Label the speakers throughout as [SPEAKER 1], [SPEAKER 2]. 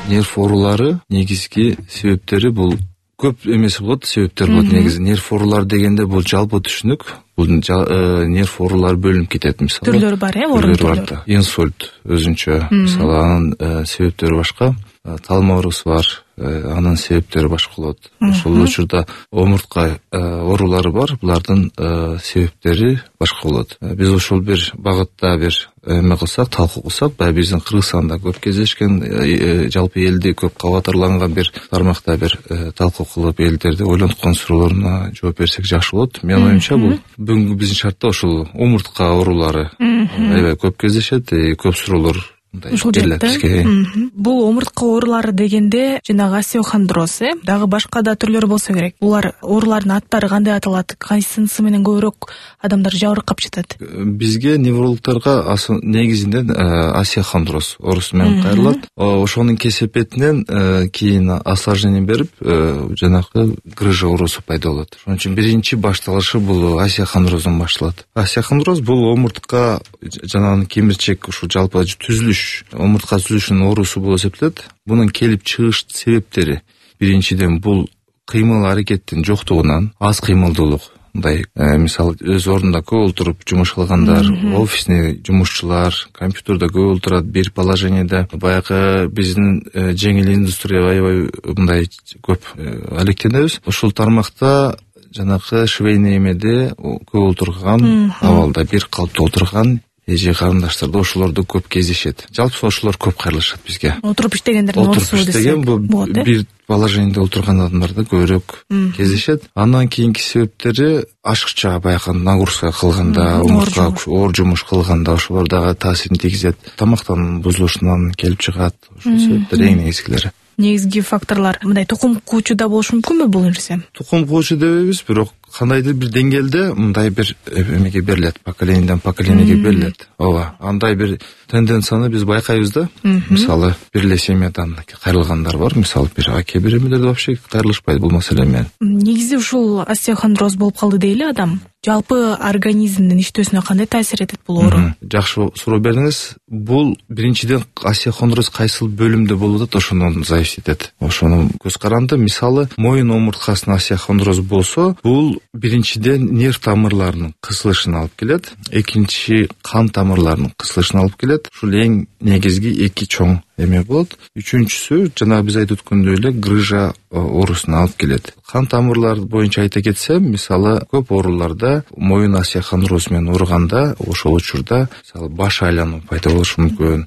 [SPEAKER 1] Нерв оорулары негизги себептери бул көп эмеси болот, себептер болот негизи. Нерв оорулары дегенде бул жалпы түшүнүк. Бул нерв оорулары бөлүнүп кетет мисалы.
[SPEAKER 2] Түрлөрү бар, оорунун түрлөрү.
[SPEAKER 1] Инсульт өзүнчө, мисалы анын себептери башка. Талма оорусу бар, анын себептери башка болот. Ошол учурда омуртка оорулары бар, булардын себептери башка болот. Биз ошол бир багытта бир эме кылсак, талкуу кылсак, баягы биздин Кыргызстанда көп кездешкен, жалпы элди көп кабатырланган бир тармакта бир талкуу кылып, элдерди ойлонткон суроолоруна жооп берсек жакшы болот. Менин оюмча бул бүгүнкү биздин шартта ошол омуртка оорулары аябай көп кездешет, көп суроолор
[SPEAKER 2] ушул жакта. Бул омуртка оорулары дегенде жанагы остеохондроз, дагы башка да түрлөрү болсо керек. Булар оорулардын аттары кандай аталат? Кайсынысы менен көбүрөөк адамдар жабыркап жатат?
[SPEAKER 1] Бизге неврологдорго негизинен остеохондроз оорусу менен кайрылат. Ошонун кесепетинен кийин осложнение берип, жанагы грыжа оорусу пайда болот. Ошон үчүн биринчи башталышы бул остеохондроздон башталат. Остеохондроз бул омуртка жанагы кемирчек, ушул жалпы түзүлүш, омуртка түзүлүшүнүн оорусу болуп эсептелет. Мунун келип чыгыш себептери биринчиден бул кыймыл аракеттин жоктугунан, аз кыймылдуулук. Мындай мисалы өз ордунда көп отуруп жумуш кылгандар, офисный жумушчулар, компьютерде көп отурат, бир положениеде. Баягы биздин жеңил индустрия аябай мындай көп алектенебиз. Ушул тармакта жанагы швейный эмеде көп отурган абалда, бир калыпта отурган эже карындаштарда ошолорду көп кездешет. Жалпы ошолор көп кайрылышат бизге.
[SPEAKER 2] Отуруп иштегендердин оорусу десек
[SPEAKER 1] болот. Бир положениеде отурган адамдарда көбүрөөк кездешет. Андан кийинки себептери ашыкча баягы нагрузка кылганда, омуртка оор жумуш кылганда ошолор дагы таасирин тийгизет. Тамактануунун бузулушунан келип чыгат. Ошол себептер эң негизгилери.
[SPEAKER 2] Негизги факторлор мындай тукум куучу да болушу мүмкүнбү бул нерсе?
[SPEAKER 1] Тукум куучу дебейбиз, бирок кандайдыр бир деңгээлде мындай бир эмеге берилет, поколенияден поколениеге берилет. Ооба, андай бир тенденцияны биз байкайбыз да. Мисалы, бир эле семьядан кайрылгандар бар, мисалы бир аке биремелерде вообще кайрылышпайт бул маселе менен.
[SPEAKER 2] Негизи ушул остеохондроз болуп калды дейли адам. Жалпы организмдин иштөөсүнө кандай таасир этет бул оору? Жакшы
[SPEAKER 1] суроо бердиңиз. Бул биринчиден остеохондроз кайсыл бөлүмдө болуп атат, ошондон зависит этет. Ошону көз каранды. Мисалы, моюн омурткасына остеохондроз болсо, бул биринчиден нерв тамырларынын кысылышына алып келет, экинчи кан тамырларынын кысылышына алып келет. Ушул эң негизги эки чоң эме болот. Үчүнчүсү жана биз айтып өткөндөй эле грыжа оорусуна алып келет. Кан тамырлар боюнча айта кетсем, мисалы, көп ооруларда моюн остеохондроз менен ооруганда ошол учурда мисалы баш айлануу пайда болушу мүмкүн.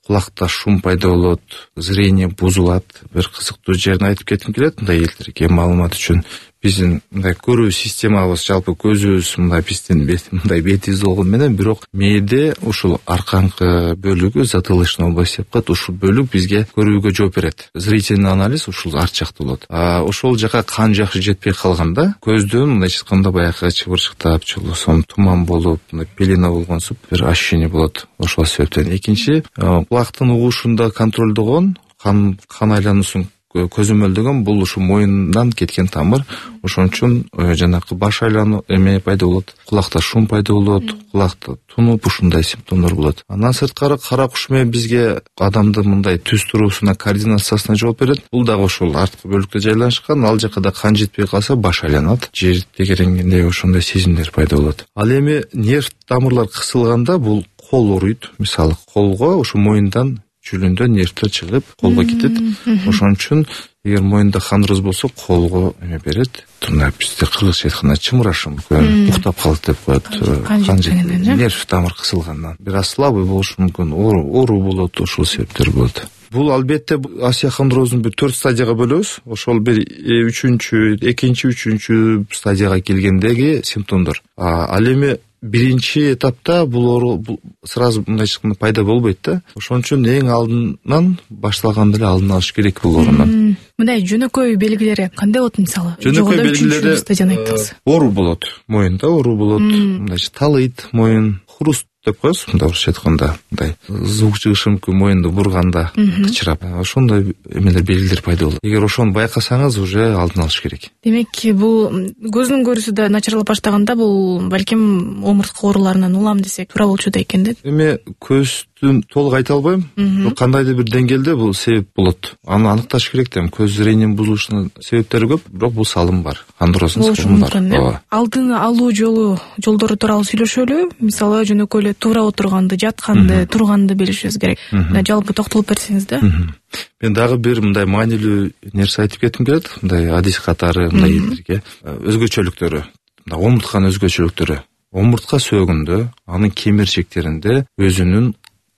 [SPEAKER 1] Кулакта шум пайда болот, зрение бузулат. Бир кызыктуу жерин айтып кетким келет, мындай элдерге маалымат үчүн. Биздин мындай көрүү системабыз, жалпы көзүбүз мындай биздин мындай бетибиз болгон менен, бирок мээде ушул аркаңкы бөлүгү, затылочный область деп коет, ушул бөлүк бизге көрүүгө жооп берет. Зрительный анализ ушул арт жакта болот. Ошол жака кан жакшы жетпей калганда, көздөн мындай чыкканда баягы чыбырчыктап, чулуусун туман болуп, мындай пелена болгонсуп бир ощущение болот. Ошол себептен. Экинчи, кулактын угушунда контролдогон кан айлануусун көзөмөлдөгөн бул ушу моюндан кеткен тамыр. Ошон үчүн жанагы баш айлануу эме пайда болот, кулакта шум пайда болот, кулакта тунуп ушундай симптомдор болот. Андан сырткары кара куш менен бизге адамдын мындай түз туруусуна, координациясына жооп берет. Бул дагы ошол арткы бөлүккө жайланышкан, ал жака да кан жетпей калса баш айланат, жер тегеренгендей ошондой сезимдер пайда болот. Ал эми нерв тамырлар кысылганда бул кол ооруйт. Мисалы, колго ушу моюндан жүлүндө нервтер чыгып, колго кетет. Ошон үчүн эгер моюнда хондроз болсо, колго эме берет. Бизде кыргызча айтканда чымырашы мүмкүн, уктап калат деп коет. Нерв тамыр кысылгандан. Бир аз слабый болушу мүмкүн, оору болот, ошол себептер болот. Бул албетте остеохондроздун бир 4 стадияга бөлөбүз. Ошол бир экинчи, үчүнчү стадияга келгендеги симптомдор. Ал эми биринчи этапта бул оору сразу мындай пайда болбойт да. Ошон үчүн эң алдынан башталганда эле алдын алыш керек бул оорунун.
[SPEAKER 2] Мындай жөнөкөй белгилери кандай болот мисалы?
[SPEAKER 1] Жөнөкөй белгилери оору болот, моюнда оору болот, мындайча талыйт моюн, хруст деп коебуз, мындай орусча айтканда мындай звук чыгышы мүмкүн, моюнду бурганда кычырап, ошондой эмелер, белгилер пайда болот. Эгер ошону байкасаңыз, уже алдын алыш керек.
[SPEAKER 2] Демек, бул көздүн көрүүсү да начарлап баштаганда, бул балким омуртка ооруларынан улам десек туура болчу да экен да.
[SPEAKER 1] Эми көздүн толук айта албайм, кандайдыр бир деңгээлде бул себеп болот. Аны аныкташ керек да. Көз зрениенин бузулушунун себептери көп, бирок бул салым бар, хондроздун салымы бар.
[SPEAKER 2] Алдын алуу жолдору тууралуу сүйлөшөлү. Мисалы, жөнөкөй эле туура отурганды, жатканды, турганды билишибиз керек. Жалпы токтолуп берсеңиз да.
[SPEAKER 1] Мен дагы бир мындай маанилүү нерсе айтып кетким келет. Мындай адис катары мындай элдерге өзгөчөлүктөрү, мындай омуртканын өзгөчөлүктөрү. Омуртка сөөгүндө, анын кемирчектеринде өзүнүн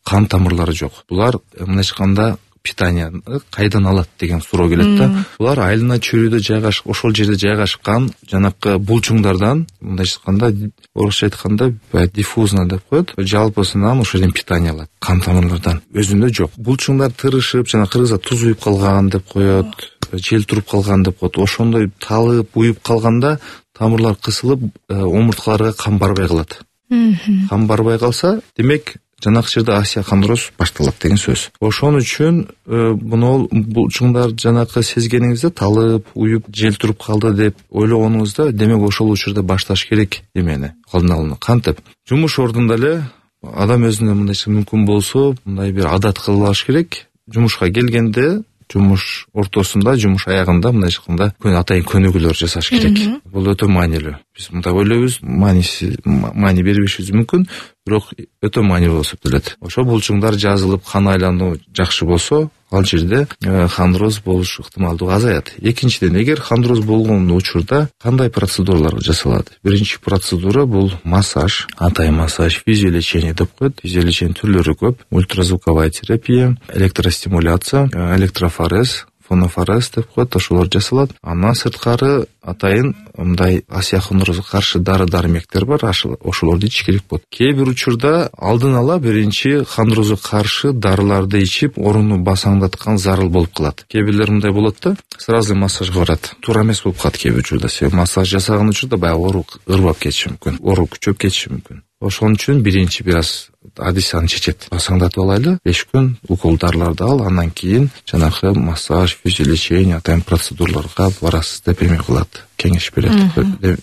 [SPEAKER 1] кан тамырлары жок. Булар мындайча айтканда питанияны кайдан алат деген суроо келет да. Булар айлана чүрүдө жайгашып, ошол жерде жайгашкан жанакы булчуңдардан, мындайча айтканда, орусча айтканда диффузно деп коет. Жалпысынан ошол жерден питания алат, кан тамырлардан. Өзүндө жок. Булчуңдар тырышып, жана кыргызда туз уюп калган деп коет, жел туруп калган деп коет. Ошондой талып, уюп калганда тамырлар кысылып, омурткаларга кан барбай калат. Кан барбай калса, демек жанакы жерде остеохондроз башталат деген сөз. Ошон үчүн буну булчуңдар жанакы сезгениңизде талып, уюп, жел туруп калды деп ойлогонуңузда, демек ошол учурда башташ керек эмени, алдын алууну. Кантип? Жумуш ордунда эле адам өзүнө мындайча мүмкүн болсо, мындай бир адат кылып алыш керек. Жумушка келгенде, жумуш ортосунда, жумуш аягында мындайча айтканда атайын көнүгүүлөр жасаш керек. Бул өтө маанилүү. Биз мындай ойлойбуз, маани бербешибиз мүмкүн, бирок өтө маанилүү болуп эсептелет. Ошо булчуңдар жазылып, кан айлануу жакшы болсо, ал жерде хондроз болуш ыктымалдыгы азаят. Экинчиден, эгер хондроз болгон учурда кандай процедуралар жасалат? Биринчи процедура бул массаж, атайын массаж, физиолечение деп коет. Физиолечение түрлөрү көп. Ультразвуковая терапия, электростимуляция, электрофорез, фонофорез деп коет, ошолор жасалат. Андан сырткары атайын мындай остеохондрозго каршы дары-дармектер бар, ошолорду ичиш керек болот. Кээ бир учурда алдын ала биринчи хондрозго каршы дарыларды ичип, орунду басаңдаткан зарыл болуп калат. Кээ бирлер мындай болот да, сразу массажга барат. Туура эмес болуп калат кээ бир учурда. Себеби массаж жасаган учурда баягы оору ырбап кетиши мүмкүн, оору күчөп кетиши мүмкүн. Ошон үчүн биринчи бир аз адис аны чечет. Басаңдатып алайлы, 5 күн укол дарыларды ал, андан кийин жанагы массаж, физиолечение, атайын процедураларга барасыз деп эме кылат, кеңеш берет.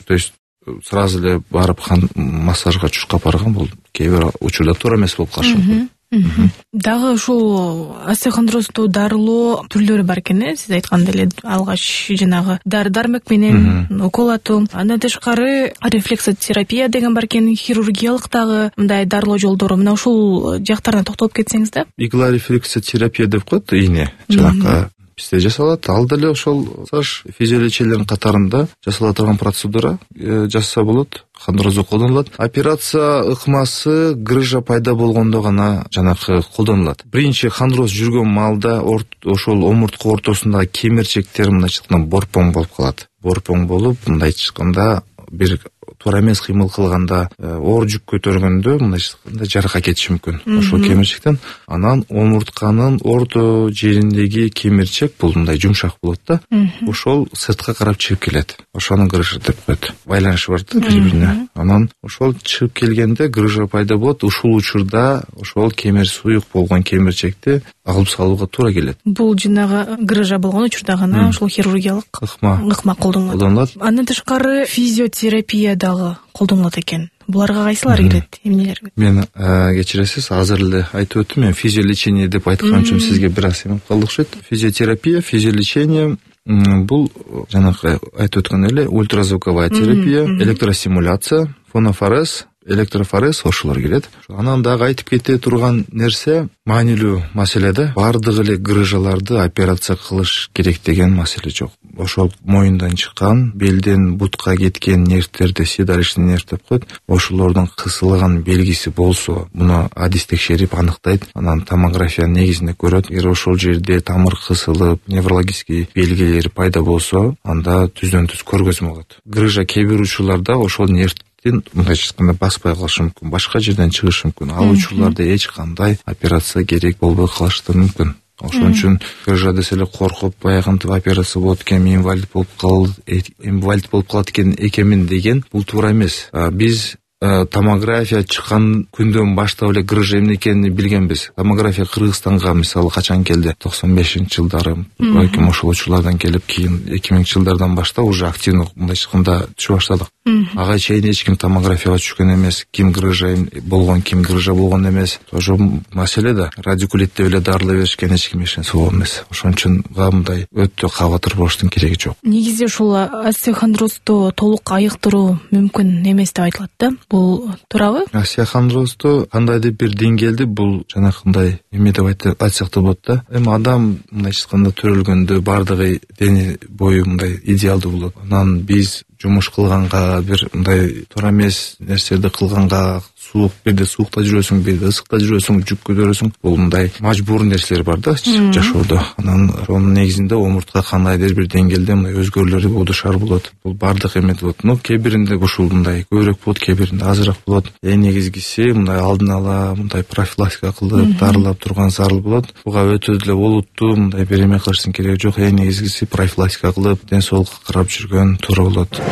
[SPEAKER 1] То есть сразу эле барып массажга чуркап барган бул кээ бир учурда туура эмес болуп калышы мүмкүн.
[SPEAKER 2] Дагы ушул остеохондрозду дарылоо түрлөрү бар экен, сиз айткандай эле алгач жанагы дары-дармек менен укол атуу. Андан тышкары рефлексотерапия деген бар экен, хирургиялык дагы мындай дарылоо жолдору. Мына ушул жактарына токтолуп кетсеңиз да. Игла
[SPEAKER 1] рефлексотерапия деп коет, ийне жанакы бизде жасалат. Ал деле ошол физиолечиялердин катарында жасала турган процедура, жасаса болот. Хондрозго колдонулат. Операция ыкмасы грыжа пайда болгондо гана жанакы колдонулат. Биринчи хондроз жүргөн маалда ошол омуртка ортосундагы кемирчектер мындайча айтканда борпоң болуп калат. Борпоң болуп, мындайча айтканда бир туура эмес кыймыл кылганда, оор жүк көтөргөндө мындайча айтканда жарака кетиши мүмкүн ошол кемирчектен. Анан омуртканын орто жериндеги кемирчек бул мындай жумшак болот да. Ошол сыртка карап чыгып келет. Ошону грыжа деп коет. Байланышы бар да бири-бирине. Анан ошол чыгып келгенде грыжа пайда болот. Ушул учурда ошол кемир суюк болгон кемирчекти алып салууга туура келет.
[SPEAKER 2] Бул жанагы грыжа болгон учурда гана ошол хирургиялык ыкма колдонулат. Андан тышкары физиотерапия дагы колдонулат экен. Буларга кайсылары кирет, эмнелер?
[SPEAKER 1] Мен кечиресиз, азыр эле айтып өттүм. Мен физиолечение деп айткан үчүн сизге бир аз эме калды окшойт. Физиотерапия, физиолечение бул жанагы айтып өткөн эле ультразвуковая терапия, электростимуляция, фонофорез, электрофорез ошолор келет. Анан дагы айтып кете турган нерсе маанилүү маселе да. Бардык эле грыжаларды операция кылыш керек деген маселе жок. Ошол моюндан чыккан, белден бутка кеткен нервтерди седалищный нерв деп коет. Ошолордун кысылган белгиси болсо, муну адис текшерип аныктайт. Анан томография негизинде көрөт. Эгер ошол жерде тамыр кысылып, неврологический белгилери пайда болсо, анда түздөн-түз көргөзмө болот. Грыжа кээ бир учурларда ошол нерв мындайча айтканда баспай калышы мүмкүн, башка жерден чыгышы мүмкүн. Ал учурларда эч кандай операция керек болбой калышы мүмкүн. Ошон үчүн грыжа десе эле коркуп, баягынтип операция болот экен, инвалид болуп калат экен экенмин деген бул туура эмес. Биз томография чыккан күндөн баштап эле грыжа эмне экенин билгенбиз. Томография Кыргызстанга мисалы качан келди? 95-жылдары балким ошол учурлардан келип, кийин 2000-жылдардан баштап уже активдүү мындайча айтканда түшө баштадык. Ага чейин эч ким томографияга түшкөн эмес, ким грыжа болгон, ким грыжа болгон эмес. Ошо маселе да радикулит деп эле дарылай беришкен, эч ким эч нерсе болгон эмес. Ошон үчүн мындай өтө кабатыр болуштун кереги жок.
[SPEAKER 2] Негизи ушул остеохондрозду толук айыктыруу мүмкүн эмес деп айтылат да. Бул туурабы?
[SPEAKER 1] Остеохондрозду кандайдыр бир деңгээлде бул жанакындай эме деп айтсак да болот да. Эми адам мындайча айтканда төрөлгөндө бардыгы дене бою мындай идеалдуу болот. Анан биз жумуш кылганга, бир мындай туура эмес нерселерди кылганга, суук, бирде суукта жүрөсүң, бирде ысыкта жүрөсүң, жүк көтөрөсүң. Бул мындай мажбур нерселер бар да жашоодо. Анан ошонун негизинде омуртка кандайдыр бир деңгээлде мындай өзгөрүүлөр болушар болот. Бул бардык эме болот. Кээ биринде ушул мындай көбүрөөк болот, кээ биринде азыраак болот. Эң негизгиси мындай алдын ала мындай профилактика кылып, дарылап турган зарыл болот. Буга өтө деле олуттуу мындай бир эме кылыштын кереги жок. Эң негизгиси профилактика кылып, ден соолукка карап жүргөн туура болот.